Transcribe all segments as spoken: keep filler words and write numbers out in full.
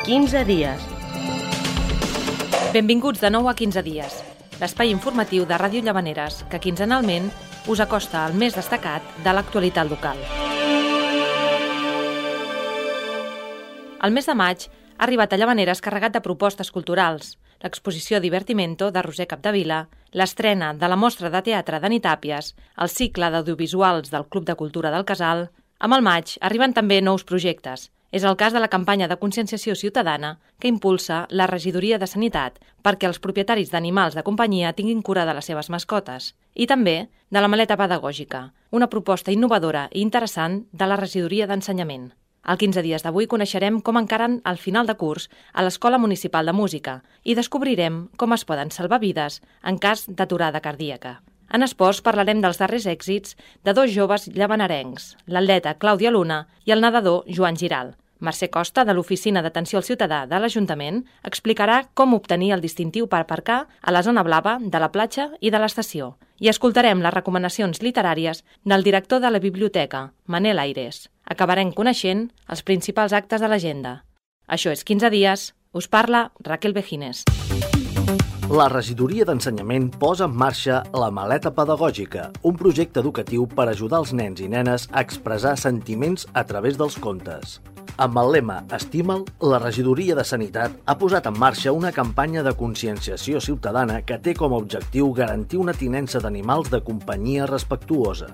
quinze dies. Benvinguts de nou a quinze dies, l'espai informatiu de Ràdio Llavaneres que quinzenalment us acosta al més destacat de l'actualitat local. El mes de maig ha arribat a Llavaneres carregat de propostes culturals, l'exposició Divertimento de Roser Capdevila, l'estrena de la mostra de teatre d'Ani Tàpies, el cicle d'audiovisuals del Club de Cultura del Casal. Amb el maig arriben també nous projectes. És el cas de la campanya de conscienciació ciutadana que impulsa la Regidoria de Sanitat perquè els propietaris d'animals de companyia tinguin cura de les seves mascotes. I també de la maleta pedagògica, una proposta innovadora i interessant de la Regidoria d'Ensenyament. Al quinze dies d'avui coneixerem com encaren el final de curs a l'Escola Municipal de Música i descobrirem com es poden salvar vides en cas d'aturada cardíaca. En esports parlarem dels darrers èxits de dos joves llavanerencs, l'atleta Clàudia Luna i el nedador Joan Giral. Mercè Costa, de l'Oficina d'Atenció al Ciutadà de l'Ajuntament, explicarà com obtenir el distintiu per aparcar a la zona blava de la platja i de l'estació. I escoltarem les recomanacions literàries del director de la biblioteca, Manel Aires. Acabarem coneixent els principals actes de l'agenda. Això és quinze dies. Us parla Raquel Vejines. La Regidoria d'Ensenyament posa en marxa la Maleta Pedagògica, un projecte educatiu per ajudar els nens i nenes a expressar sentiments a través dels contes. Amb el lema Estima'l, la Regidoria de Sanitat ha posat en marxa una campanya de conscienciació ciutadana que té com a objectiu garantir una tinença d'animals de companyia respectuosa.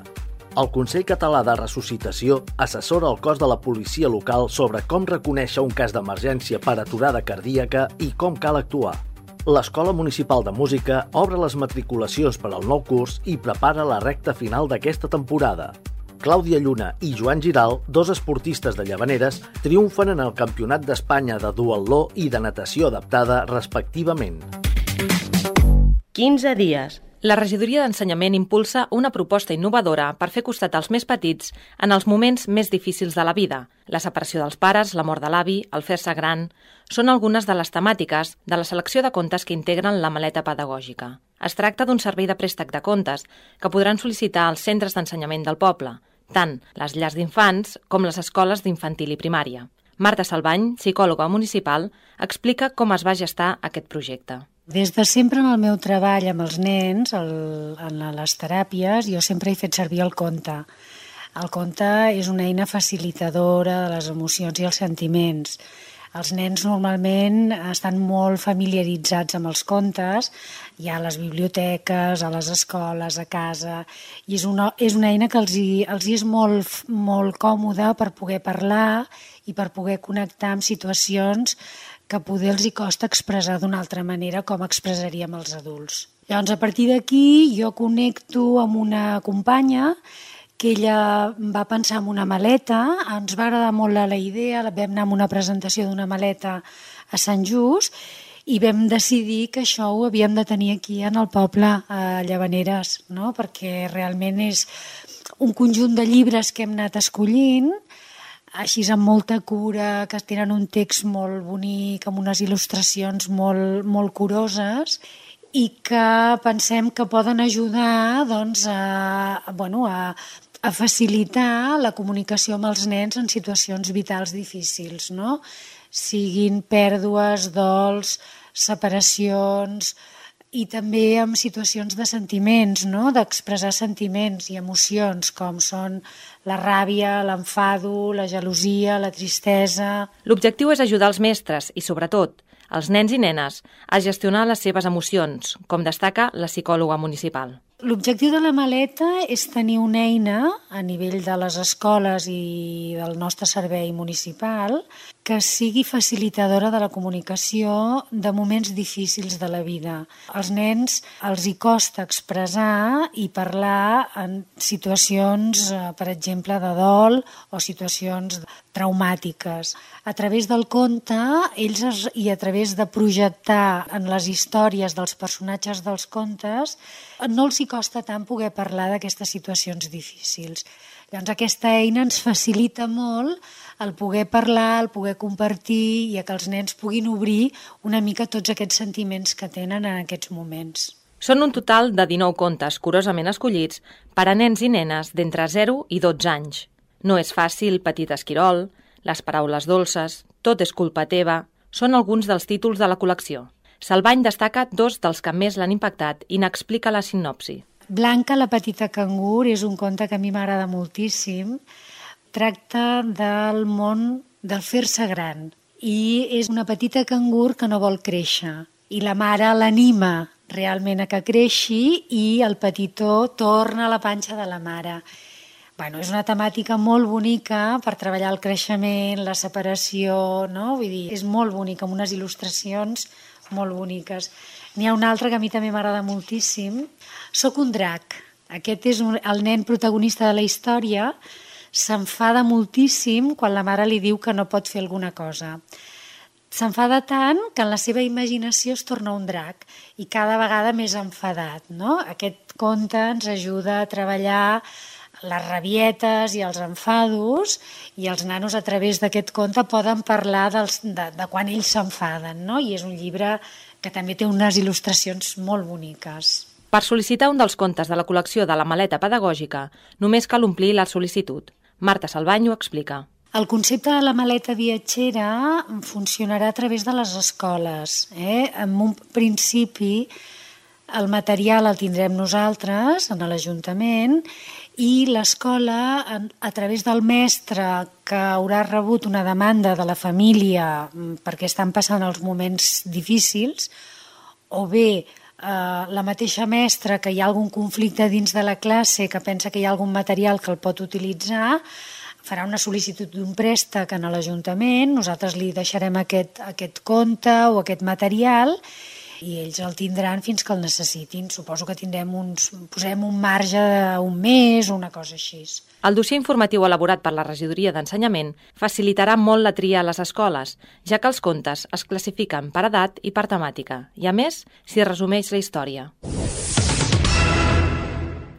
El Consell Català de Ressuscitació assessora el cos de la policia local sobre com reconèixer un cas d'emergència per aturada cardíaca i com cal actuar. L'Escola Municipal de Música obre les matriculacions per al nou curs i prepara la recta final d'aquesta temporada. Clàudia Lluna i Joan Giral, dos esportistes de Llavaneres, triomfen en el Campionat d'Espanya de duatló i de natació adaptada, respectivament. quinze dies. La Regidoria d'Ensenyament impulsa una proposta innovadora per fer costat als més petits en els moments més difícils de la vida. La separació dels pares, la mort de l'avi, el fer-se gran... Són algunes de les temàtiques de la selecció de contes que integren la maleta pedagògica. Es tracta d'un servei de préstec de contes que podran sol·licitar als centres d'ensenyament del poble, tant les llars d'infants com les escoles d'infantil i primària. Marta Salvany, psicòloga municipal, explica com es va gestar aquest projecte. Des de sempre en el meu treball amb els nens, el, en les teràpies, jo sempre he fet servir el conte. El conte és una eina facilitadora de les emocions i els sentiments. Els nens normalment estan molt familiaritzats amb els contes, hi ha a les biblioteques, a les escoles, a casa, i és una, és una eina que els hi, els hi és molt, molt còmoda per poder parlar i per poder connectar amb situacions que poder els hi costa expressar d'una altra manera com expressaríem els adults. Llavors, a partir d'aquí, jo connecto amb una companya que ella va pensar en una maleta, ens va agradar molt la idea, vam anar a una presentació d'una maleta a Sant Just i vam decidir que això ho havíem de tenir aquí en el poble, a Llavaneres, no? Perquè realment és un conjunt de llibres que hem anat escollint, així amb molta cura, que tenen un text molt bonic, amb unes il·lustracions molt, molt curoses, i que pensem que poden ajudar doncs, a, bueno, a, a facilitar la comunicació amb els nens en situacions vitals difícils, no? Siguin pèrdues, dols, separacions i també en situacions de sentiments, no? D'expressar sentiments i emocions com són la ràbia, l'enfado, la gelosia, la tristesa. L'objectiu és ajudar els mestres i, sobretot, els nens i nenes a gestionar les seves emocions, com destaca la psicòloga municipal. L'objectiu de la maleta és tenir una eina a nivell de les escoles i del nostre servei municipal que sigui facilitadora de la comunicació de moments difícils de la vida. Als nens els hi costa expressar i parlar en situacions, per exemple, de dol o situacions traumàtiques. A través del conte, ells es, i a través de projectar en les històries dels personatges dels contes, no els hi costa tant poder parlar d'aquestes situacions difícils. Llavors aquesta eina ens facilita molt el poder parlar, el poder compartir i que els nens puguin obrir una mica tots aquests sentiments que tenen en aquests moments. Són un total de dinou contes curosament escollits per a nens i nenes d'entre zero i dotze anys. No és fàcil, petit esquirol, les paraules dolces, tot és culpa teva, són alguns dels títols de la col·lecció. Salvany destaca dos dels que més l'han impactat i n'explica la sinopsi. Blanca, la petita cangur, és un conte que a mi m'agrada moltíssim. Tracta del món del fer-se gran i és una petita cangur que no vol créixer i la mare l'anima realment a que creixi i el petitó torna a la panxa de la mare. Bueno, és una temàtica molt bonica per treballar el creixement, la separació, no? Vull dir, és molt bonica, amb unes il·lustracions molt boniques. N'hi ha un altre que a mi també m'agrada moltíssim. Soc un drac. Aquest és un, el nen protagonista de la història. S'enfada moltíssim quan la mare li diu que no pot fer alguna cosa. S'enfada tant que en la seva imaginació es torna un drac i cada vegada més enfadat, no? Aquest conte ens ajuda a treballar les rabietes i els enfados i els nanos a través d'aquest conte poden parlar dels, de, de quan ells s'enfaden, no? I és un llibre que també té unes il·lustracions molt boniques. Per sol·licitar un dels contes de la col·lecció de la maleta pedagògica només cal omplir la sol·licitud. Marta Salvany ho explica. El concepte de la maleta viatgera funcionarà a través de les escoles. Eh? En un principi el material el tindrem nosaltres en l'Ajuntament i l'escola, a través del mestre que haurà rebut una demanda de la família perquè estan passant els moments difícils, o bé eh, la mateixa mestra que hi ha algun conflicte dins de la classe que pensa que hi ha algun material que el pot utilitzar, farà una sol·licitud d'un préstec a l'Ajuntament, nosaltres li deixarem aquest, aquest compte o aquest material i ells el tindran fins que el necessitin. Suposo que tindrem uns, posem un marge d'un mes o una cosa així. El dossier informatiu elaborat per la Regidoria d'Ensenyament facilitarà molt la tria a les escoles, ja que els contes es classifiquen per edat i per temàtica, i a més s'hi resumeix la història.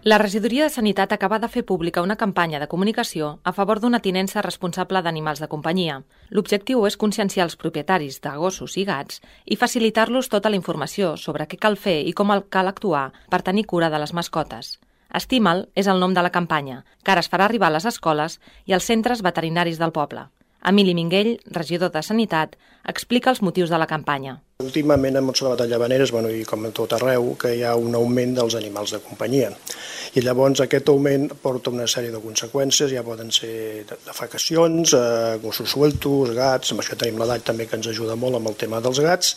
La Regidoria de Sanitat acaba de fer pública una campanya de comunicació a favor d'una tinença responsable d'animals de companyia. L'objectiu és conscienciar els propietaris de gossos i gats i facilitar-los tota la informació sobre què cal fer i com cal actuar per tenir cura de les mascotes. Estima'l és el nom de la campanya, que ara es farà arribar a les escoles i als centres veterinaris del poble. Emili Minguell, regidor de Sanitat, explica els motius de la campanya. Últimament a Montserrat de Llavaneres, bueno, i com a tot arreu, que hi ha un augment dels animals de companyia. I llavors aquest augment porta una sèrie de conseqüències, ja poden ser defecacions, eh, gossos sueltos, gats, amb això tenim l'edat també que ens ajuda molt amb el tema dels gats,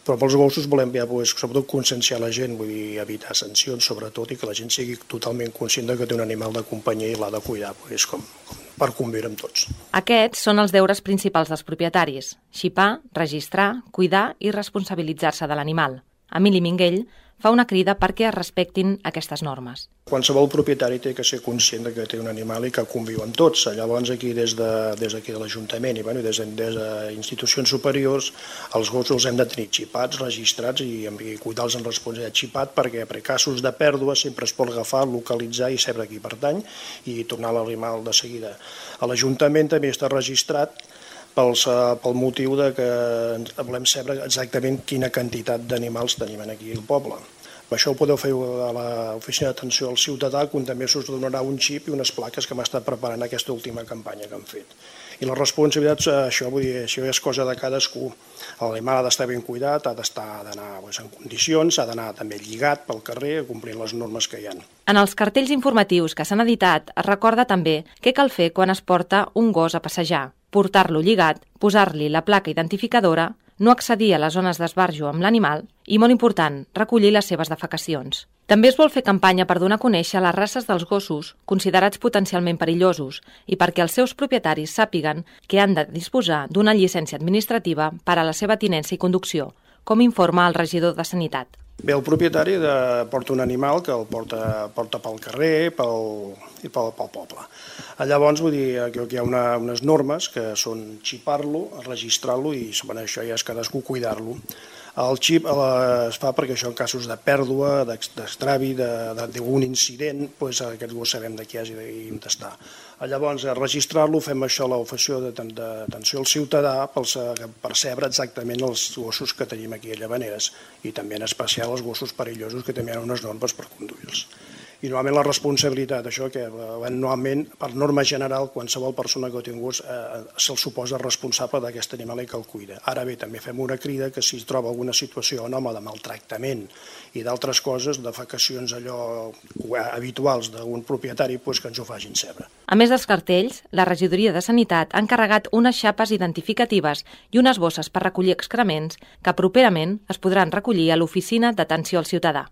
però pels gossos volem ja, pues, sobretot conscienciar la gent, vull dir, evitar sancions sobretot i que la gent sigui totalment conscient que té un animal de companyia i l'ha de cuidar, pues, com, com per conviure amb tots. Aquests són els deures principals dels propietaris: xipar, registrar, cuidar i responsabilitzar-se de l'animal. Emili Minguell fa una crida perquè es respectin aquestes normes. Qualsevol propietari té que ser conscient que té un animal i que conviu amb tots. Llavors aquí des de, des d'aquí de l'Ajuntament i bueno, des, de, des d'institucions superiors els gossos els hem de tenir xipats, registrats i, i cuidar-los en responsabilitat xipat perquè per casos de pèrdua sempre es pot agafar, localitzar i saber a qui pertany i tornar l'animal de seguida. A l'Ajuntament també està registrat Pels, pel motiu de que volem saber exactament quina quantitat d'animals tenim aquí al poble. Això ho podeu fer a l'Oficina d'Atenció al Ciutadà, on també us donarà un xip i unes plaques que hem estat preparant aquesta última campanya que hem fet. I les responsabilitats, això, vull dir, això és cosa de cadascú. L'animal ha d'estar ben cuidat, ha d'estar d'anar en condicions, ha d'anar també lligat pel carrer, complint les normes que hi ha. En els cartells informatius que s'han editat es recorda també què cal fer quan es porta un gos a passejar: portar-lo lligat, posar-li la placa identificadora, no accedir a les zones d'esbarjo amb l'animal i, molt important, recollir les seves defecacions. També es vol fer campanya per donar a conèixer les races dels gossos considerats potencialment perillosos i perquè els seus propietaris sàpiguen que han de disposar d'una llicència administrativa per a la seva tinença i conducció, com informa el regidor de Sanitat. Bé, el propietari de, porta un animal que el porta, porta pel carrer pel, i pel, pel poble. Llavors, vull dir, que hi ha una, unes normes que són xipar-lo, registrar-lo i bueno, això ja és cadascú cuidar-lo. El xip es fa perquè això en casos de pèrdua, d'extravi, d'algun incident, doncs aquest gos sabem de qui hagi d'estar. Llavors, a registrar-lo fem això a l'Oficina d'Atenció al Ciutadà per percebre exactament els gossos que tenim aquí a Llavaneres i també en especial els gossos perillosos que també hi ha unes normes per conduir-los. I normalment la responsabilitat, això que normalment, per norma general, qualsevol persona que ho tingués eh, se'l suposa responsable d'aquest animal i que el cuida. Ara bé, també fem una crida que si es troba alguna situació en home de maltractament i d'altres coses, defecacions allò habituals d'un propietari, doncs que ens ho facin saber. A més dels cartells, la Regidoria de Sanitat ha encarregat unes xapes identificatives i unes bosses per recollir excrements que properament es podran recollir a l'Oficina d'Atenció al Ciutadà.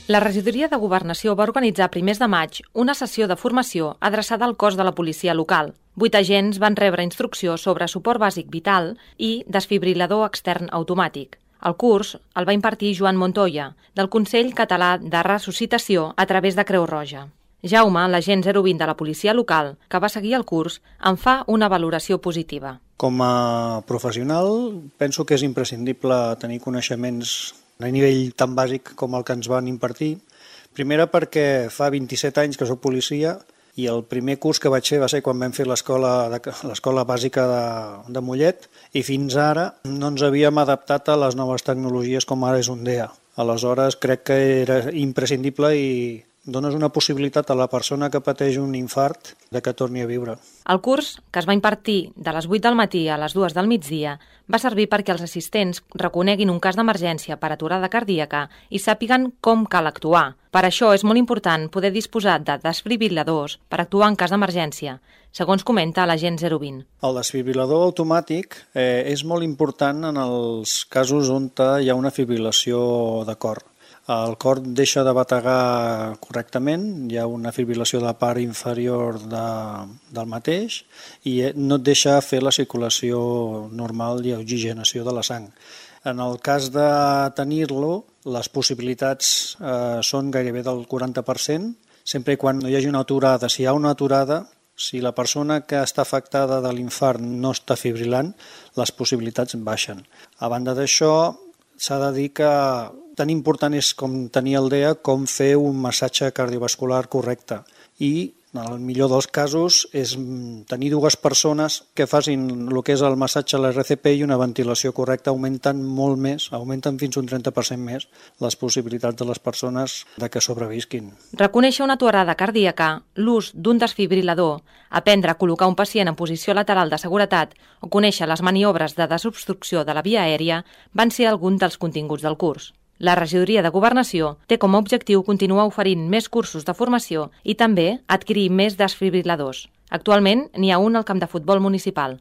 La Regidoria de Governació va organitzar a primers de maig una sessió de formació adreçada al cos de la policia local. Vuit agents van rebre instrucció sobre suport bàsic vital i desfibrilador extern automàtic. El curs el va impartir Joan Montoya, del Consell Català de Ressuscitació a través de Creu Roja. Jaume, l'agent zero vint de la policia local, que va seguir el curs, en fa una valoració positiva. Com a professional, penso que és imprescindible tenir coneixements a nivell tan bàsic com el que ens van impartir. Primera perquè fa vint-i-set anys que soc policia i el primer curs que vaig fer va ser quan vam fer l'escola l'escola bàsica de, de Mollet i fins ara no ens havíem adaptat a les noves tecnologies com ara és un D E A. Aleshores crec que era imprescindible i dones una possibilitat a la persona que pateix un infart de que torni a viure. El curs, que es va impartir de les vuit del matí a les dues del migdia, va servir perquè els assistents reconeguin un cas d'emergència per aturada cardíaca i sàpiguen com cal actuar. Per això és molt important poder disposar de desfibriladors per actuar en cas d'emergència, segons comenta l'agent zero vint. El desfibrilador automàtic eh, és molt important en els casos on hi ha una fibrilació de cor. El cor deixa de bategar correctament, hi ha una fibrilació de la part inferior de, del mateix i no et deixa fer la circulació normal i oxigenació de la sang. En el cas de tenir-lo, les possibilitats eh, són gairebé del quaranta per cent, sempre i quan no hi hagi una aturada. Si hi ha una aturada, si la persona que està afectada de l'infart no està fibrilant, les possibilitats baixen. A banda d'això, s'ha de dir que tan important és com tenir el D E A com fer un massatge cardiovascular correcte. I en el millor dels casos és tenir dues persones que facin el que és el massatge a l'R C P i una ventilació correcta, augmenten molt més, augmenten fins un trenta per cent més les possibilitats de les persones de que sobrevisquin. Reconèixer una aturada cardíaca, l'ús d'un desfibrilador, aprendre a col·locar un pacient en posició lateral de seguretat o conèixer les maniobres de desobstrucció de la via aèria van ser alguns dels continguts del curs. La Regidoria de Governació té com a objectiu continuar oferint més cursos de formació i també adquirir més desfibriladors. Actualment n'hi ha un al camp de futbol municipal.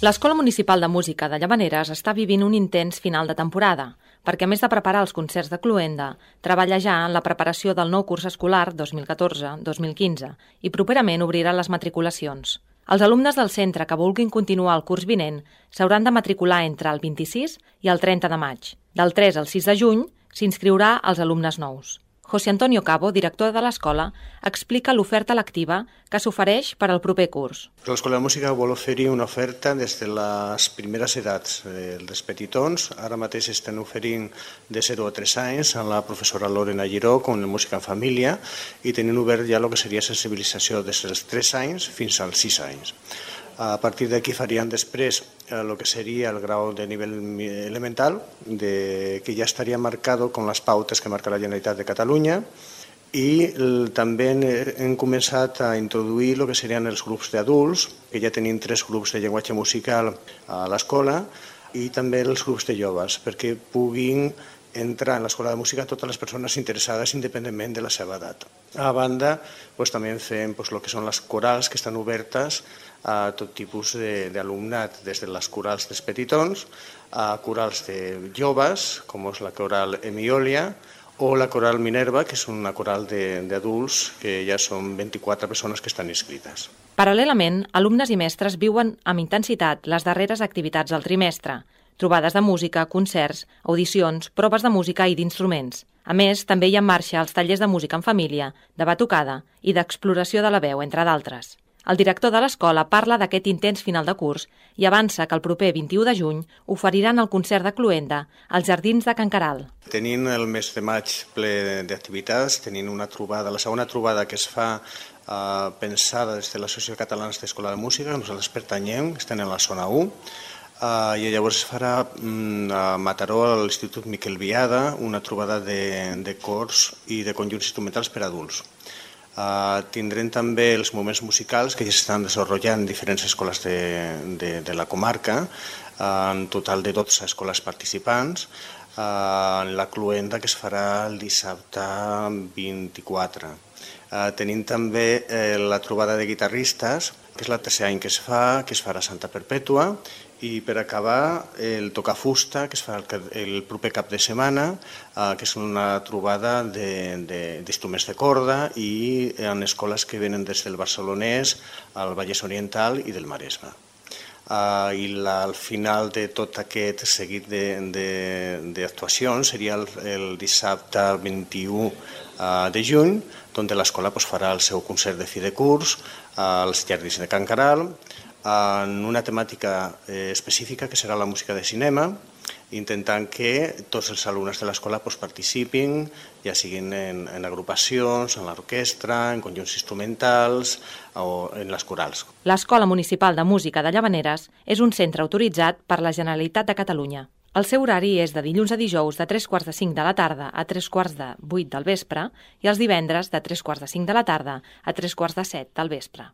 L'Escola Municipal de Música de Llavaneres està vivint un intens final de temporada, perquè a més de preparar els concerts de cloenda, treballa ja en la preparació del nou curs escolar dos mil catorze dos mil quinze i properament obrirà les matriculacions. Els alumnes del centre que vulguin continuar el curs vinent s'hauran de matricular entre el vint-i-sis i el trenta de maig. Del tres al sis de juny s'inscriurà als alumnes nous. José Antonio Cabo, director de l'escola, explica l'oferta lectiva que s'ofereix per al proper curs. L'Escola de Música vol oferir una oferta des de les primeres edats dels petitons. Ara mateix estan oferint de zero a tres anys a la professora Lorena Giró com la música en família i tenen obert ja el que seria sensibilització des dels tres anys fins als sis anys. A partir d'aquí farien després el que seria el grau de nivell elemental, de, que ja estaria marcado con les pautes que marca la Generalitat de Catalunya i el, també hem començat a introduir el que serien els grups d'adults, que ja tenim tres grups de llenguatge musical a l'escola i també els grups de joves, perquè puguin entrar en l'escola de música totes les persones interessades independentment de la seva edat. A banda, doncs, també fem doncs, el que són les corals que estan obertes a tot tipus d'alumnat, des de les corals dels petitons a corals de joves, com és la coral Emiolia, o la coral Minerva, que és una coral d'adults, que ja són vint-i-quatre persones que estan inscrites. Paral·lelament, alumnes i mestres viuen amb intensitat les darreres activitats del trimestre, trobades de música, concerts, audicions, proves de música i d'instruments. A més, també hi ha en marxa els tallers de música en família, de batucada i d'exploració de la veu, entre d'altres. El director de l'escola parla d'aquest intens final de curs i avança que el proper vint-i-u de juny oferiran el concert de cloenda als Jardins de Can Caral. Tenint el mes de maig ple d'activitats, tenint una trobada, la segona trobada que es fa eh, pensada des de l'Associació Catalana d'Escola de Música, nosaltres pertanyem, estem en la zona u, Uh, I llavors es farà um, a Mataró, a l'Institut Miquel Biada, una trobada de, de cors i de conjunts instrumentals per a adults. Uh, tindrem també els moments musicals que ja s'estan desenvolupant en diferents escoles de, de, de la comarca, uh, en total de dotze escoles participants, uh, en la cluenda que es farà el dissabte vint-i-quatre. Uh, tenim també eh, la trobada de guitarristes, que és la tercer any que es fa, que es farà a Santa Perpètua, i per acabar el tocafusta, que es farà el, el proper cap de setmana, eh, que és una trobada d'instruments de, de, de corda i en escoles que venen des del Barcelonès, al Vallès Oriental i del Maresme. Uh, I la, al final de tot aquest seguit d'actuacions seria el, el dissabte vint-i-u uh, de juny, on l'escola pues, farà el seu concert de fi de curs uh, als Jardins de Can Caral, en una temàtica eh, específica que serà la música de cinema, intentant que tots els alumnes de l'escola pues, participin, ja siguin en, en agrupacions, en l'orquestra, en conjunts instrumentals o en les corals. L'Escola Municipal de Música de Llavaneres és un centre autoritzat per la Generalitat de Catalunya. El seu horari és de dilluns a dijous de tres quarts de cinc de la tarda a tres quarts de vuit del vespre i els divendres de tres quarts de cinc de la tarda a tres quarts de set del vespre.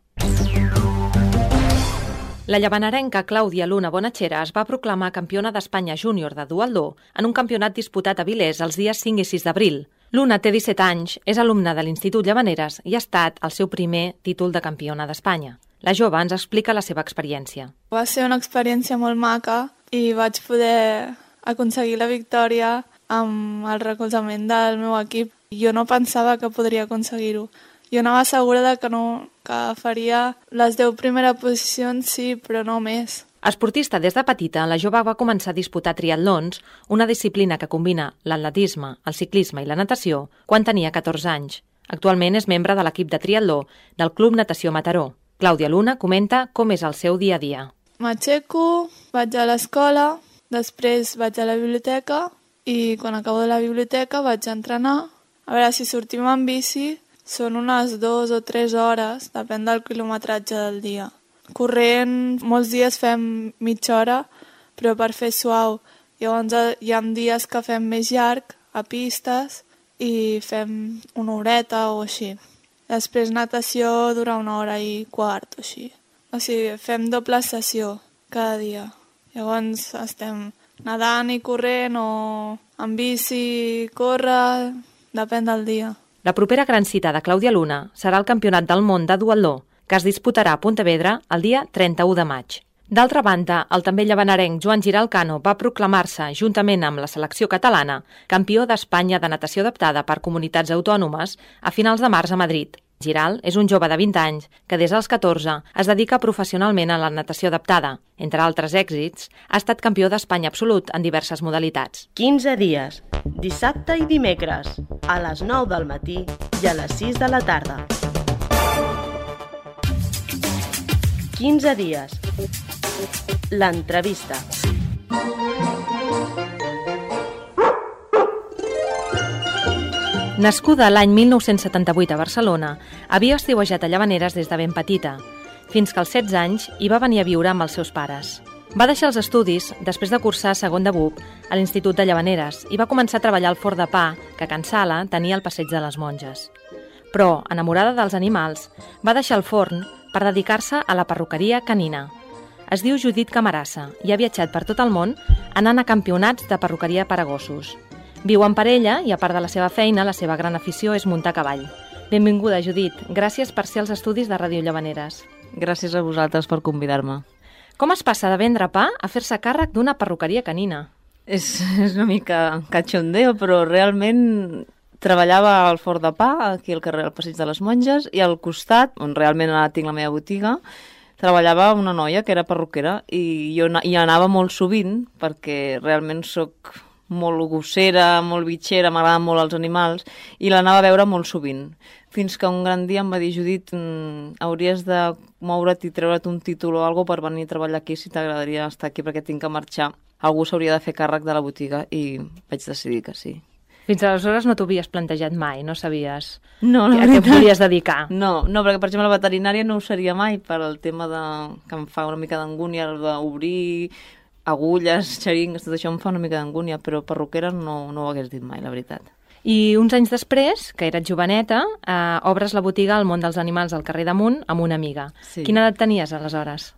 La llavanerenca Clàudia Luna Bonachera es va proclamar campiona d'Espanya júnior de dualdó en un campionat disputat a Vilés els dies cinc i sis d'abril. Luna té disset anys, és alumna de l'Institut Llavaneres i ha estat el seu primer títol de campiona d'Espanya. La jove ens explica la seva experiència. Va ser una experiència molt maca i vaig poder aconseguir la victòria amb el recolzament del meu equip. Jo no pensava que podria aconseguir-ho. Jo anava segura de que, no, que faria les deu primeres posicions, sí, però no més. Esportista des de petita, la jove va començar a disputar triatlons, una disciplina que combina l'atletisme, el ciclisme i la natació, quan tenia catorze anys. Actualment és membre de l'equip de triatló del Club Natació Mataró. Clàudia Luna comenta com és el seu dia a dia. M'aixeco, vaig a l'escola, després vaig a la biblioteca i quan acabo de la biblioteca vaig a entrenar. A veure, si sortim en bici són unes dues o tres hores, depèn del quilometratge del dia. Corrent, molts dies fem mitja hora, però per fer suau. Llavors hi ha dies que fem més llarg, a pistes, i fem una horeta o així. Després natació dura una hora i quart o així. O sigui, fem doble sessió cada dia. Llavors estem nedant i corrent o en bici, córrer, depèn del dia. La propera gran cita de Clàudia Luna serà el Campionat del Món de dualdó, que es disputarà a Pontevedra el dia trenta-u de maig. D'altra banda, el també llavanerenc Joan Giral Cano va proclamar-se, juntament amb la selecció catalana, campió d'Espanya de natació adaptada per comunitats autònomes a finals de març a Madrid. Giral és un jove de vint anys que des dels catorze es dedica professionalment a la natació adaptada. Entre altres èxits, ha estat campió d'Espanya absolut en diverses modalitats. quinze dies, dissabte i dimecres, a les nou del matí i a les sis de la tarda. quinze dies. L'entrevista. Nascuda l'any mil nou-cents setanta-vuit a Barcelona, havia estiuejat a Llavaneres des de ben petita, fins que als setze anys hi va venir a viure amb els seus pares. Va deixar els estudis després de cursar segon de B U P a l'Institut de Llavaneres i va començar a treballar al forn de pa que a Can Sala tenia al Passeig de les Monges. Però, enamorada dels animals, va deixar el forn per dedicar-se a la perruqueria canina. Es diu Judit Camarassa i ha viatjat per tot el món anant a campionats de perruqueria per a gossos. Viu en parella i, a part de la seva feina, la seva gran afició és muntar a cavall. Benvinguda, Judit. Gràcies per ser als estudis de Ràdio Llavaneres. Gràcies a vosaltres per convidar-me. Com es passa de vendre pa a fer-se càrrec d'una perruqueria canina? És, és una mica cachondeo, però realment treballava al forn de pa, aquí al carrer del Passeig de les Monges, i al costat, on realment ara tinc la meva botiga, treballava una noia que era perruquera i jo hi anava molt sovint perquè realment sóc molt gossera, molt bitxera, m'agraden molt els animals i l'anava a veure molt sovint. Fins que un gran dia em va dir, Judit, mmm, hauries de moure't i treure't un títol o alguna per venir a treballar aquí si t'agradaria estar aquí perquè tinc que marxar. Algú s'hauria de fer càrrec de la botiga i vaig decidir que sí. Fins aleshores no t'ho havies plantejat mai, no sabies no, a què et volies dedicar? No, no, perquè per exemple la veterinària no ho seria mai per al tema de, que em fa una mica d'angúnia d'obrir agulles, xeringues, tot això em fa una mica d'angúnia, però perruquera no, no ho hagués dit mai, la veritat. I uns anys després, que eres joveneta, eh, obres la botiga al món dels animals al carrer damunt amb una amiga. Sí. Quina edat tenies aleshores?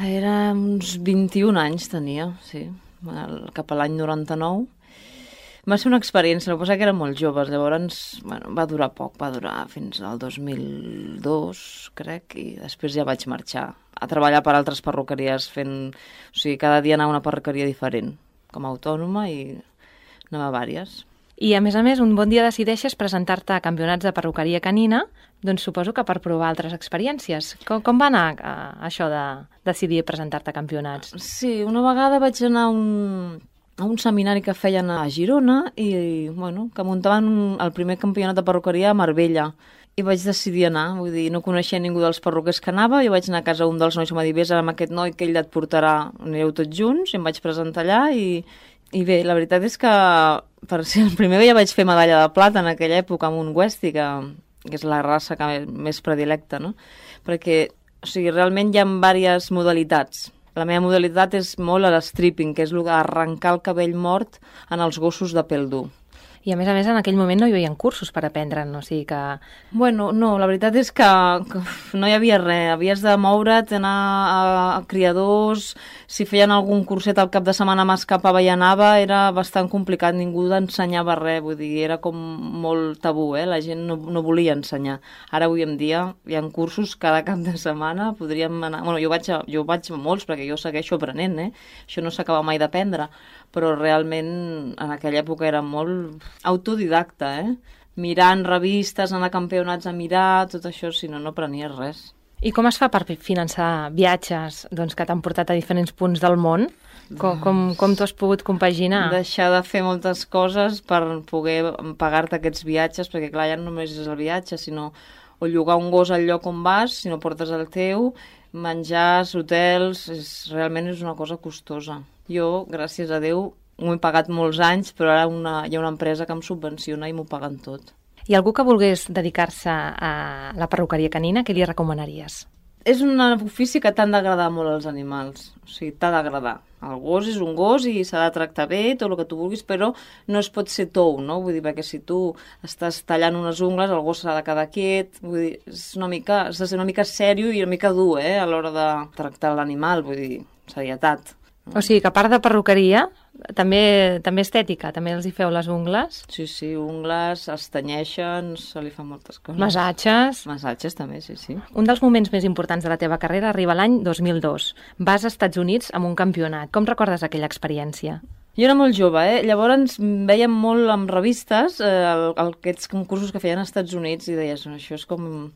Era uns vint-i-un anys tenia, sí, el, cap a l'any noranta-nou. Va ser una experiència, el que passa que érem molt joves, llavors bueno, va durar poc, va durar fins al dos mil dos, crec, i després ja vaig marxar a treballar per altres perruqueries fent... O sigui, cada dia anava a una perruqueria diferent, com a autònoma, i anava a vàries. I, a més a més, un bon dia decideixes presentar-te a campionats de perruqueria canina, doncs suposo que per provar altres experiències. Com, com va anar a, això de decidir presentar-te a campionats? Sí, una vegada vaig anar a un... a un seminari que feien a Girona i, bueno, que muntaven el primer campionat de perruqueria a Marbella. I vaig decidir anar, vull dir, no coneixia ningú dels perruquers que anava, jo vaig anar a casa un dels nois que m'ha dit, vés amb aquest noi que ell et portarà, anireu tots junts, i em vaig presentar allà i, i bé, la veritat és que per ser el primer ja vaig fer medalla de plata en aquella època amb un Westie, que, que és la raça que més predilecta, no? Perquè, o sigui, realment hi ha diverses modalitats. La meva modalitat és molt a l'stripping, que és arrencar el cabell mort en els gossos de pèl dur. I a més a més en aquell moment no hi havia cursos per aprendre'n, o sigui que... Bueno, no, la veritat és que, que no hi havia res, havies de moure't, anar a, a criadors, si feien algun curset al cap de setmana m'escapava i anava, era bastant complicat, ningú t'ensenyava res, vull dir, era com molt tabú, eh? La gent no, no volia ensenyar. Ara avui en dia hi ha cursos cada cap de setmana, podríem anar... Bueno, jo vaig a, jo vaig a molts perquè jo segueixo aprenent, eh? Això no s'acaba mai d'aprendre, però realment en aquella època era molt autodidacta, eh? Mirant revistes, anar a campionats a mirar, tot això, si no, no aprenies res. I com es fa per finançar viatges doncs, que t'han portat a diferents punts del món? Com, com, com t'ho has pogut compaginar? Deixar de fer moltes coses per poder pagar-te aquests viatges, perquè clar, ja no només és el viatge, sinó o llogar un gos al lloc on vas, si no portes el teu, menjars, hotels, és, realment és una cosa costosa. Jo, gràcies a Déu, m'ho he pagat molts anys, però ara una, hi ha una empresa que em subvenciona i m'ho paguen tot. I algú que volgués dedicar-se a la perruqueria canina, què li recomanaries? És un ofici que t'han d'agradar molt als animals, o sigui, t'ha d'agradar. El gos és un gos i s'ha de tractar bé, tot el que tu vulguis, però no es pot ser tou, no? Vull dir, perquè si tu estàs tallant unes ungles, el gos s'ha de quedar quiet, vull dir, és una mica, has de ser una mica sèrio i una mica dur, eh?, a l'hora de tractar l'animal, vull dir, serietat. O sigui, que a part de perruqueria, també també estètica, també els hi feu les ungles? Sí, sí, ungles, es tenyeixen, se li fan moltes coses. Massatges? Massatges també, sí, sí. Un dels moments més importants de la teva carrera arriba l'any dos mil dos. Vas als Estats Units amb un campionat. Com recordes aquella experiència? Jo era molt jove, eh? Llavors veiem molt en revistes eh, el, el, aquests concursos que feien als Estats Units i deies, no, això és com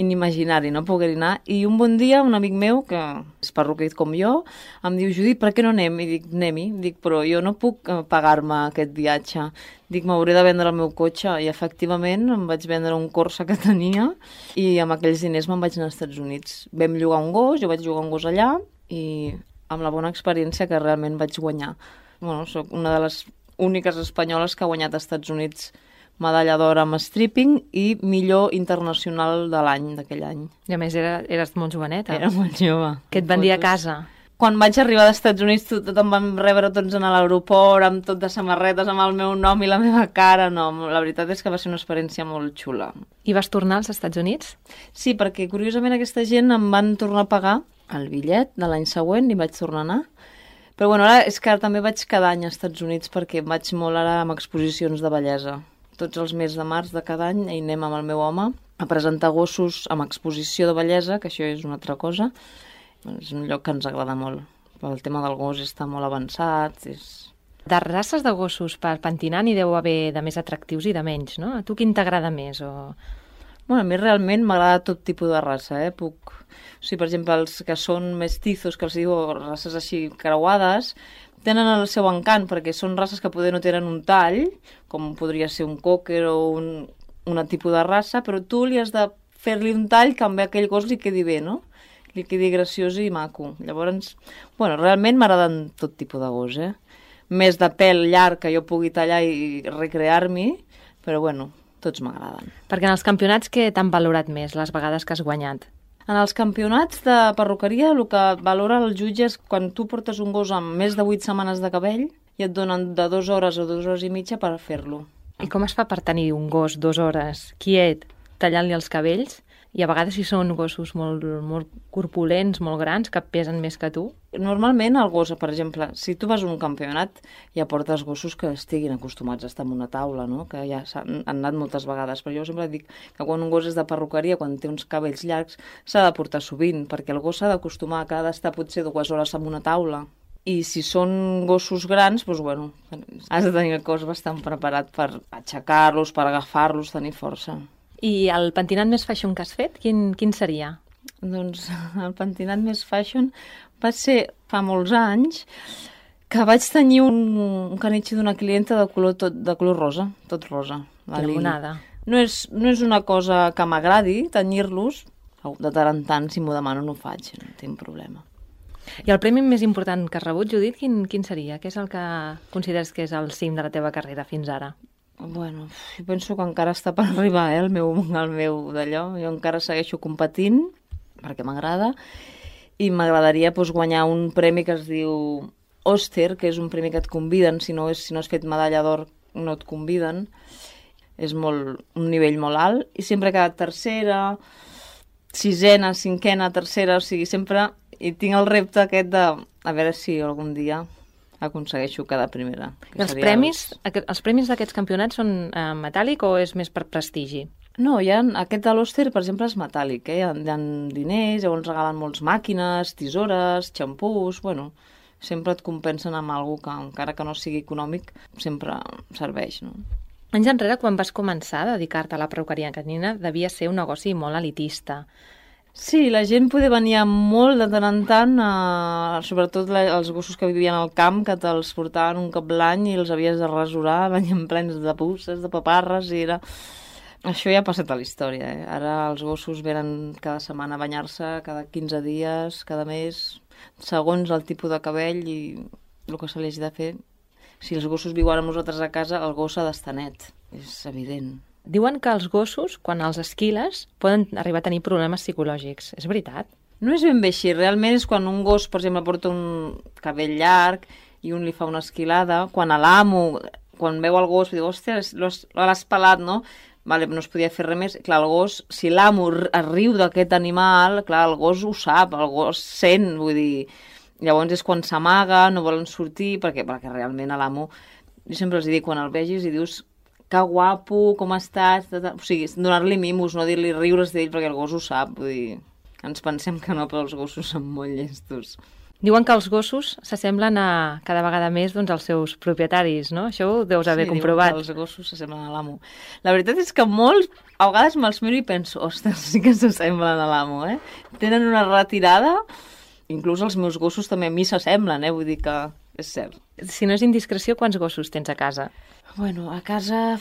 inimaginari, no poder anar. I un bon dia un amic meu, que és perruquer com jo, em diu, Judit, per què no anem? I dic, anem-hi. Dic, però jo no puc pagar-me aquest viatge. Dic, m'hauré de vendre el meu cotxe. I efectivament em vaig vendre un Corsa que tenia i amb aquells diners me'n vaig anar als Estats Units. Vam llogar un gos, jo vaig llogar un gos allà i amb la bona experiència que realment vaig guanyar. Bueno, soc una de les úniques espanyoles que ha guanyat als Estats Units medalla d'or amb stripping i millor internacional de l'any, d'aquell any. I a més era, eres molt joveneta. Era molt jove. Què et van dir a casa? Quan vaig arribar als Estats Units tot em van rebre tots a l'aeroport amb tot de samarretes amb el meu nom i la meva cara. No, la veritat és que va ser una experiència molt xula. I vas tornar als Estats Units? Sí, perquè curiosament aquesta gent em van tornar a pagar el bitllet de l'any següent i vaig tornar a anar. Però bueno, ara és que ara també vaig cada any als Estats Units perquè vaig molt ara amb exposicions de bellesa. Tots els mesos de març de cada any hi anem amb el meu home a presentar gossos amb exposició de bellesa, que això és una altra cosa. És un lloc que ens agrada molt. El tema del gos està molt avançat. És... De races de gossos per pentinar n'hi deu haver de més atractius i de menys, no? A tu quin t'agrada més? O... Bueno, a mi realment m'agrada tot tipus de raça, eh? Puc... O sigui, per exemple, els que són mestizos, que els diu races així creuades, tenen el seu encant, perquè són races que poder no tenen un tall, com podria ser un cocker o un, un tipus de raça, però tu li has de fer-li un tall que amb aquell gos li quedi bé, no? Li quedi graciós i maco. Llavors, bueno, realment m'agraden tot tipus de gos, eh? Més de pèl llarg que jo pugui tallar i recrear-m'hi, però bueno, tots m'agraden. Perquè en els campionats què t'han valorat més, les vegades que has guanyat? En els campionats de perruqueria el que valora el jutge és quan tu portes un gos amb més de vuit setmanes de cabell i et donen de dues hores o dues hores i mitja per fer-lo. I com es fa per tenir un gos dues hores quiet, tallant-li els cabells? I a vegades si són gossos molt, molt corpulents, molt grans, que pesen més que tu? Normalment el gos, per exemple, si tu vas a un campionat ja portes gossos que estiguin acostumats a estar en una taula, no? Que ja han anat moltes vegades, però jo sempre dic que quan un gos és de perruqueria, quan té uns cabells llargs, s'ha de portar sovint, perquè el gos s'ha d'acostumar que ha d'estar potser dues hores en una taula. I si són gossos grans, doncs, bueno, has de tenir el cos bastant preparat per aixecar-los, per agafar-los, tenir força. I el pentinat més fashion que has fet, quin, quin seria? Doncs el pentinat més fashion va ser fa molts anys que vaig tenir un, un canitxi d'una clienta de color, tot, de color rosa, tot rosa. La monada. No és, no és una cosa que m'agradi tenyir-los, de tant en tant, si m'ho demano no ho faig, no tinc problema. I el premi més important que has rebut, Judit, quin, quin seria? Què és el que consideres que és el cim de la teva carrera fins ara? Bueno, jo penso que encara està per arribar, eh, el meu, el meu d'allò. Jo encara segueixo competint, perquè m'agrada, i m'agradaria doncs, guanyar un premi que es diu Oster, que és un premi que et conviden, si no, és, si no has fet medalla d'or no et conviden. És molt, un nivell molt alt, i sempre he quedat tercera, sisena, cinquena, tercera, o sigui, sempre... I tinc el repte aquest de... A veure si algun dia aconsegueixo quedar primera. Els premis, el... els premis d'aquests campionats són eh, metàl·lic o és més per prestigi? No, hi ha, aquest de l'Oster, per exemple, és metàl·lic. Eh? Hi, ha, hi ha diners, llavors regalen molts màquines, tisores, xampús... Bueno, sempre et compensen amb alguna que, encara que no sigui econòmic, sempre serveix, no? Anys enrere, quan vas començar a dedicar-te a la perruqueria canina, devia ser un negoci molt elitista. Sí, la gent podia venir molt de tant en tant, eh, sobretot la, els gossos que vivien al camp, que te'ls portaven un cop l'any i els havies de rasurar, venien plens de puces, de paparres, i era... Això ja ha passat a la història, eh? Ara els gossos venen cada setmana a banyar-se, cada quinze dies, cada mes, segons el tipus de cabell i el que se li hagi de fer. Si els gossos viuen amb nosaltres a casa, el gos ha d'estar net, és evident. Diuen que els gossos, quan els esquiles, poden arribar a tenir problemes psicològics. És veritat? No és ben bé així. Realment és quan un gos, per exemple, porta un cabell llarg i un li fa una esquilada, quan l'amo, quan veu el gos, diu, hòstia, l'has pelat, no? Vale, no es podia fer res més. Clar, el gos, si l'amo es riu d'aquest animal, clar, el gos ho sap, el gos sent, vull dir... Llavors és quan s'amaga, no volen sortir, perquè, perquè realment a l'amo... Jo sempre els dic, quan el vegis i dius... que guapo, com estàs... O sigui, donar-li mimos, no dir-li riures d'ell, perquè el gos ho sap. Vull dir, ens pensem que no, però els gossos són molt llestos. Diuen que els gossos s'assemblen a cada vegada més doncs, als seus propietaris, no? Això ho deus haver sí, comprovat. Sí, diuen que els gossos s'assemblen a l'amo. La veritat és que molts, a vegades me'ls miro i penso, ostres, sí que s'assemblen a l'amo, eh? Tenen una retirada, inclús els meus gossos també a mi s'assemblen, eh? Vull dir que és cert. Si no és indiscreció, quants gossos tens a casa? Bueno, a casa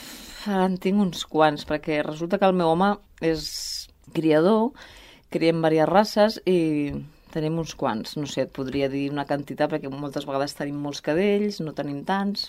en tinc uns quants, perquè resulta que el meu home és criador, criem diverses races i tenim uns quants. No sé, et podria dir una quantitat, perquè moltes vegades tenim molts cadells, no tenim tants,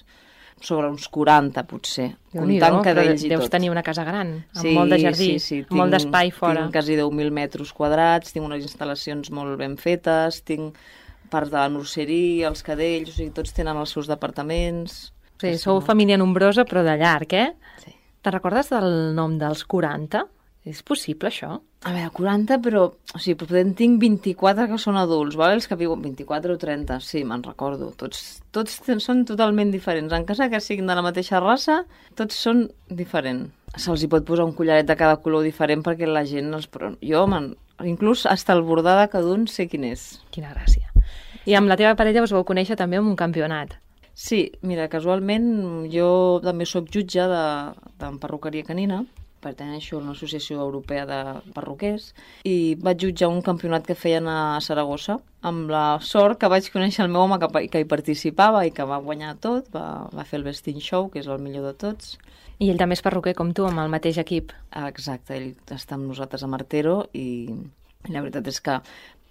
sobre uns quaranta potser, comptant cadells i tot. Deus tenir una casa gran, amb sí, molt de jardí, sí, sí, amb molt d'espai fora. Tinc quasi deu mil metres quadrats, tinc unes instal·lacions molt ben fetes, tinc parts de la nurseria, els cadells, o sigui, tots tenen els seus departaments... Sí, sou família nombrosa, però de llarg, eh? Sí. Te recordes del nom dels quaranta? És possible, això? A veure, quaranta, però... O sigui, però tinc vint-i-quatre que són adults, val? Els que viuen vint-i-quatre o trenta, sí, me'n recordo. Tots, tots són totalment diferents. En casa que siguin de la mateixa raça, tots són diferents. Se'ls hi pot posar un collaret de cada color diferent perquè la gent els... Però jo, man, inclús hasta el bordar de cada un sé quin és. Quina gràcia. I amb la teva parella us vau conèixer també en un campionat. Sí, mira, casualment jo també sóc jutge de, de perruqueria canina, pertanyo a una associació europea de perruquers, i vaig jutjar un campionat que feien a Saragossa, amb la sort que vaig conèixer el meu home que, que hi participava i que va guanyar tot, va, va fer el Vesting Show, que és el millor de tots. I ell també és perruquer com tu, amb el mateix equip. Exacte, ell està amb nosaltres a Martero, i la veritat és que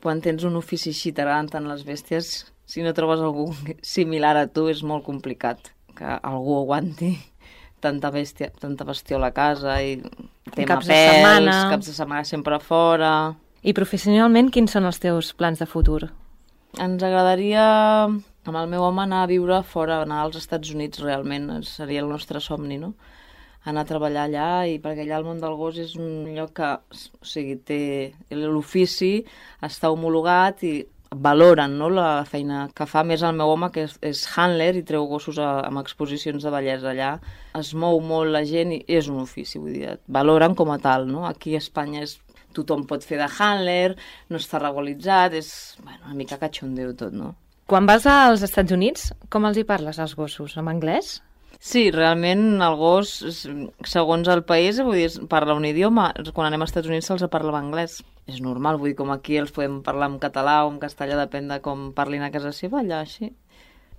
quan tens un ofici així t'agraden tant les bèsties, si no trobes algú similar a tu és molt complicat que algú aguanti tanta bèstia, tanta bestiola a casa i tema caps de pèls, setmana. caps de setmana sempre fora... I professionalment, quins són els teus plans de futur? Ens agradaria, amb el meu home, anar a viure fora, anar als Estats Units realment, seria el nostre somni, no? Anar a treballar allà, i perquè allà el món del gos és un lloc que, o sigui, té l'ofici, està homologat i valoren, no?, la feina que fa. Més el meu home, que és, és handler i treu gossos a, amb exposicions de bellesa allà. Es mou molt la gent i és un ofici, vull dir, valoren com a tal, no? Aquí a Espanya és, tothom pot fer de handler, no està regularitzat, és, bueno, una mica cachondeo tot, no? Quan vas als Estats Units, com els hi parles als gossos? En anglès? Sí, realment el gos, segons el país, vull dir, parla un idioma. Quan anem als Estats Units se'ls parla anglès. És normal, vull dir, com aquí els podem parlar en català o en castellà, depèn de com parlin a casa seva, allà així.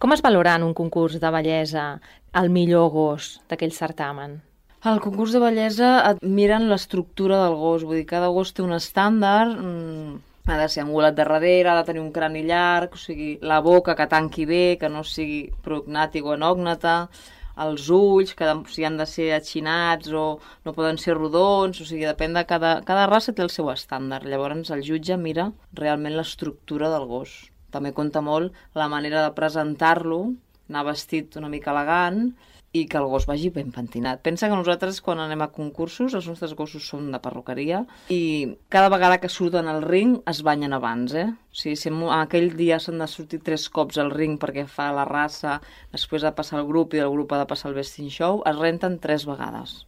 Com es valora en un concurs de bellesa el millor gos d'aquell certamen? Al concurs de bellesa et miren l'estructura del gos, vull dir, cada gos té un estàndard, mmm, ha de ser angulat de darrere, ha de tenir un crani llarg, o sigui, la boca que tanqui bé, que no sigui prognàtic o anògnata, els ulls, que o sigui, han de ser atxinats o no poden ser rodons, o sigui, depèn de cada, cada raça té el seu estàndard. Llavors el jutge mira realment l'estructura del gos. També compta molt la manera de presentar-lo, anar vestit una mica elegant i que el gos vagi ben pentinat. Pensa que nosaltres, quan anem a concursos, els nostres gossos són de perruqueria i cada vegada que surten al ring es banyen abans, eh? O sigui, si aquell dia s'han de sortir tres cops al ring perquè fa la raça, després ha de passar el grup i el grup ha de passar el vesting show, es renten tres vegades.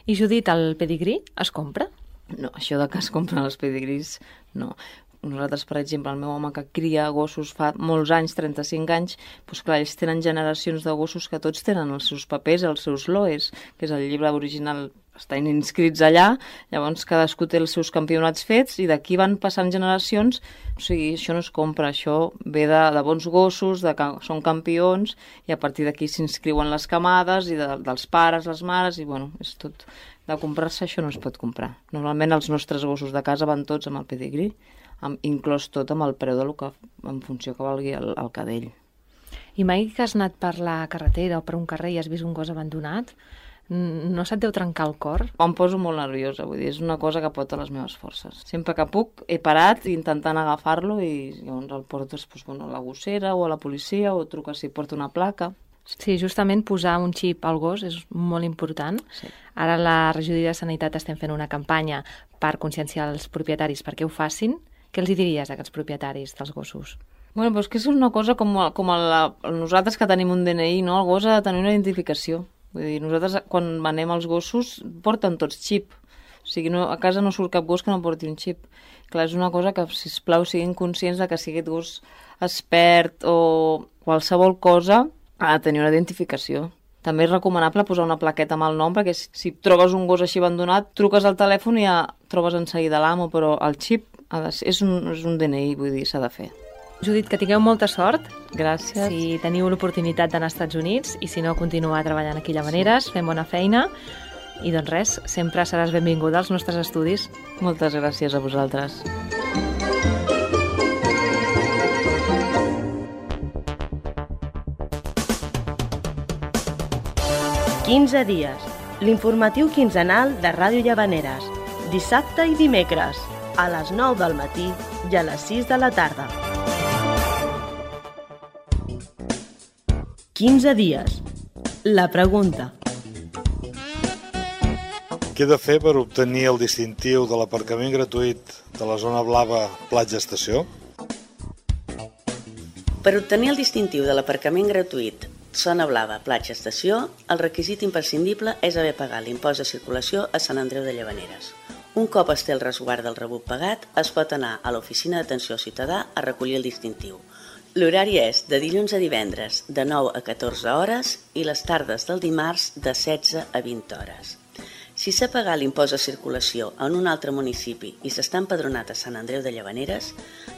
I Judit, el pedigrí es compra? No, això de que es compren els pedigrís, no. Nosaltres, per exemple, el meu home que cria gossos fa molts anys, trenta-cinc anys, doncs clar, ells tenen generacions de gossos que tots tenen els seus papers, els seus loes, que és el llibre original, estan inscrits allà, llavors cadascú té els seus campionats fets i d'aquí van passant generacions, o sigui, això no es compra, això ve de, de bons gossos, de que són campions i a partir d'aquí s'inscriuen les camades i de, dels pares, les mares, i bueno, és tot. De comprar-se això no es pot comprar. Normalment els nostres gossos de casa van tots amb el pedigrí, amb, inclòs tot amb el preu de lo que, en funció que valgui el, el cadell. I mai que has anat per la carretera o per un carrer i has vist un gos abandonat, no se't deu trencar el cor? Em poso molt nerviosa, vull dir, és una cosa que pot a les meves forces. Sempre que puc he parat intentant agafar-lo i llavors el porto doncs, bueno, a la gossera o a la policia o truco si porta una placa. Sí, justament posar un xip al gos és molt important. Sí. Ara a la regidoria de Sanitat estem fent una campanya per conscienciar els propietaris perquè ho facin. Què els diries a aquests propietaris dels gossos? Bueno, doncs que és una cosa com, com la, nosaltres que tenim un D N I, no? El gos ha de tenir una identificació. Vull dir, nosaltres quan anem als gossos porten tots xip. O sigui, no, a casa no surt cap gos que no porti un xip. Clar, és una cosa que, sisplau, siguin conscients de que si aquest gos es perd o qualsevol cosa ha de tenir una identificació. També és recomanable posar una plaqueta amb el nom, perquè si, si trobes un gos així abandonat, truques al telèfon i ja trobes en seguida l'amo, però el xip ha de ser, és, un, és un D N I, vull dir, s'ha de fer. Judit, que tingueu molta sort. Gràcies. Si teniu l'oportunitat d'anar als Estats Units i si no, continuar treballant aquí a Llavaneres, fent bona feina. I doncs res, sempre seràs benvinguda als nostres estudis. Moltes gràcies a vosaltres. quinze dies. L'informatiu quinzenal de Ràdio Llavaneres. Dissabte i dimecres, a les nou del matí i a les sis de la tarda. quinze dies. La pregunta. Què he de fer per obtenir el distintiu de l'aparcament gratuït de la zona blava Platja Estació? Per obtenir el distintiu de l'aparcament gratuït Zona Blava Platja Estació, el requisit imprescindible és haver pagat l'impost de circulació a Sant Andreu de Llavaneres. Un cop es té el resguard del rebut pagat, es pot anar a l'oficina d'atenció al ciutadà a recollir el distintiu. L'horari és de dilluns a divendres, de nou a catorze hores, i les tardes del dimarts, de setze a vint hores. Si s'ha pagat l'impost de circulació en un altre municipi i s'està empadronat a Sant Andreu de Llavaneres,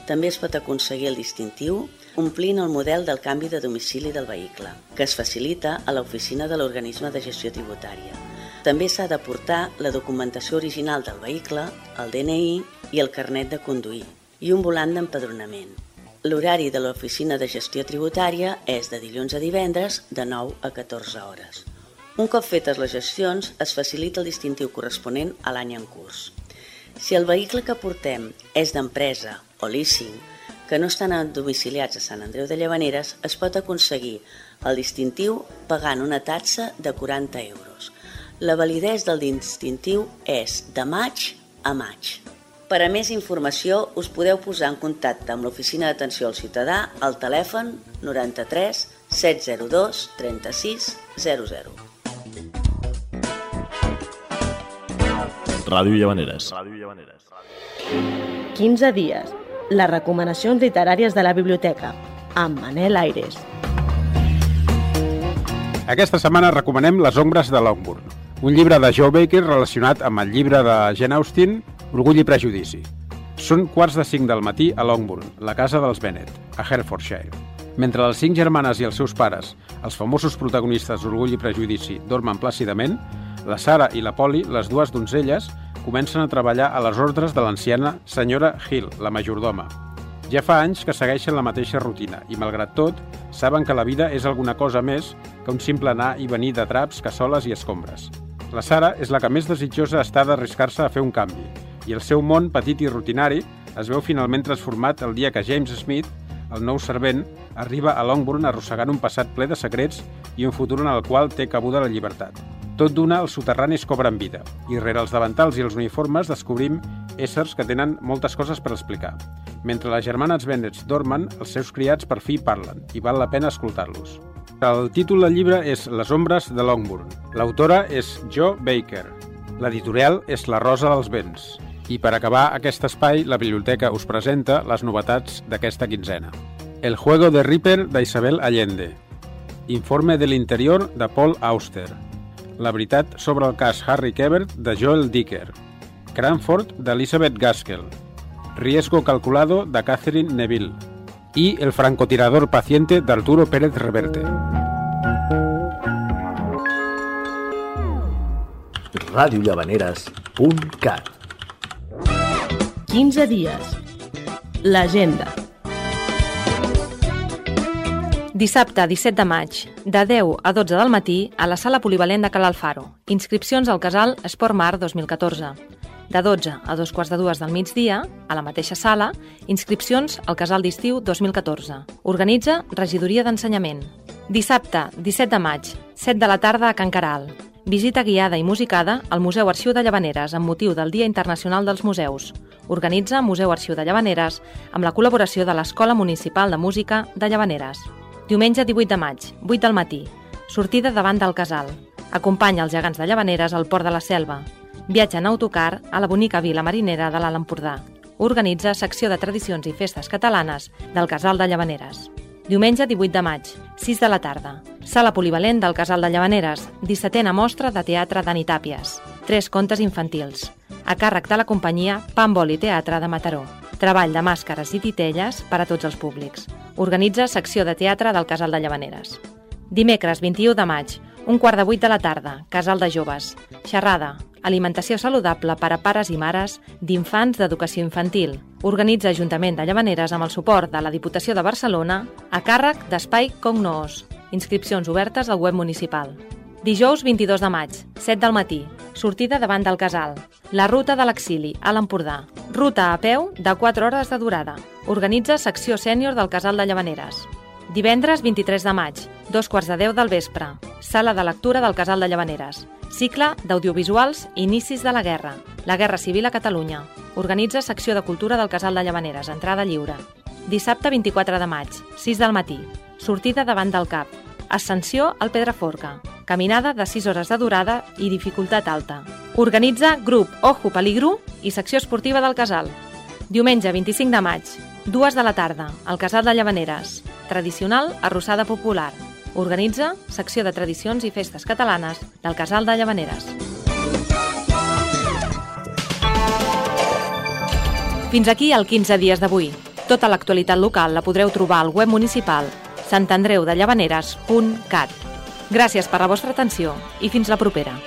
també es pot aconseguir el distintiu omplint el model del canvi de domicili del vehicle, que es facilita a l'oficina de l'organisme de gestió tributària. També s'ha de portar la documentació original del vehicle, el D N I i el carnet de conduir, i un volant d'empadronament. L'horari de l'oficina de gestió tributària és de dilluns a divendres, de nou a catorze hores. Un cop fetes les gestions, es facilita el distintiu corresponent a l'any en curs. Si el vehicle que portem és d'empresa o leasing, que no estan domiciliats a Sant Andreu de Llavaneres, es pot aconseguir el distintiu pagant una taxa de quaranta euros. La validesa del distintiu és de maig a maig. Per a més informació, us podeu posar en contacte amb l'Oficina d'Atenció al Ciutadà al telèfon noranta-tres set zero dos trenta-sis zero zero. Ràdio Llavaneres. quinze dies. Les recomanacions literàries de la biblioteca, amb Manel Aires. Aquesta setmana recomanem Les ombres de Longbourn, un llibre de Joe Baker relacionat amb el llibre de Jane Austen, Orgull i prejudici. Són quarts de cinc del matí a Longbourn, la casa dels Bennet, a Hertfordshire. Mentre les cinc germanes i els seus pares, els famosos protagonistes d'Orgull i prejudici, dormen plàcidament, la Sarah i la Polly, les dues donzelles, comencen a treballar a les ordres de l'anciana senyora Hill, la majordoma. Ja fa anys que segueixen la mateixa rutina i, malgrat tot, saben que la vida és alguna cosa més que un simple anar i venir de draps, cassoles i escombres. La Sarah és la que més desitjosa està d'arriscar-se a fer un canvi, i el seu món petit i rutinari es veu finalment transformat el dia que James Smith, el nou servent, arriba a Longbourn arrossegant un passat ple de secrets i un futur en el qual té cabuda la llibertat. Tot d'una, els soterranis cobren vida, i rere els davantals i els uniformes descobrim éssers que tenen moltes coses per explicar. Mentre les germanes Bennet dormen, els seus criats per fi parlen, i val la pena escoltar-los. El títol del llibre és Les ombres de Longbourn. L'autora és Joe Baker. L'editorial és La Rosa dels Vents. I per acabar aquest espai, la biblioteca us presenta les novetats d'aquesta quinzena. El juego de Ripper d'Isabel Allende. Informe de l'interior de Paul Auster. La veritat sobre el cas Harry Quebert de Joel Dicker. Cranford d'Elizabeth Gaskell. Riesgo calculado de Catherine Neville. I El francotirador paciente d'Arturo Pérez Reverte. ràdio llavaneres punt cat. quinze dies. L'agenda. Dissabte, disset de maig, de deu a dotze del matí, a la sala polivalent de Cal Alfaro. Inscripcions al casal Esport Mar dos mil catorze. De dotze a dos quarts de dues del migdia, a la mateixa sala, inscripcions al casal d'estiu dos mil catorze. Organitza Regidoria d'Ensenyament. Dissabte, disset de maig, set de la tarda a Can Caral. Visita guiada i musicada al Museu Arxiu de Llavaneres amb motiu del Dia Internacional dels Museus. Organitza Museu Arxiu de Llavaneres amb la col·laboració de l'Escola Municipal de Música de Llavaneres. Diumenge divuit de maig, vuit del matí. Sortida davant del casal. Acompanya els gegants de Llavaneres al Port de la Selva. Viatge en autocar a la bonica vila marinera de l'Alt Empordà. Organitza Secció de Tradicions i Festes Catalanes del Casal de Llavaneres. Diumenge divuit de maig, sis de la tarda. Sala polivalent del Casal de Llavaneres, dissetena mostra de teatre Dani Tàpies. Tres contes infantils. A càrrec de la companyia Pambol i Teatre de Mataró. Treball de màscares i titelles per a tots els públics. Organitza Secció de Teatre del Casal de Llavaneres. Dimecres vint-i-u de maig, un quart de vuit de la tarda, Casal de Joves. Xerrada. Alimentació saludable per a pares i mares d'infants d'educació infantil. Organitza Ajuntament de Llavaneres amb el suport de la Diputació de Barcelona a càrrec d'Espai Cognoos. Inscripcions obertes al web municipal. Dijous vint-i-dos de maig, set del matí. Sortida davant del casal. La ruta de l'exili, a l'Empordà. Ruta a peu de quatre hores de durada. Organitza Secció Sènior del Casal de Llavaneres. Divendres vint-i-tres de maig, dos quarts de deu del vespre. Sala de lectura del Casal de Llavaneres. Cicle d'audiovisuals Inicis de la Guerra. La Guerra Civil a Catalunya. Organitza Secció de Cultura del Casal de Llavaneres. Entrada lliure. Dissabte vint-i-quatre de maig, sis del matí. Sortida davant del Cap. Ascensió al Pedraforca. Caminada de sis hores de durada i dificultat alta. Organitza Grup Ojo Peligro i Secció Esportiva del Casal. Diumenge vint-i-cinc de maig, dues de la tarda, al Casal de Llavaneres. Tradicional arrossada popular. Organitza Secció de Tradicions i Festes Catalanes del Casal de Llavaneres. Fins aquí el quinze dies d'avui. Tota l'actualitat local la podreu trobar al web municipal sant andreu de llavaneres punt cat. Gràcies per la vostra atenció i fins la propera.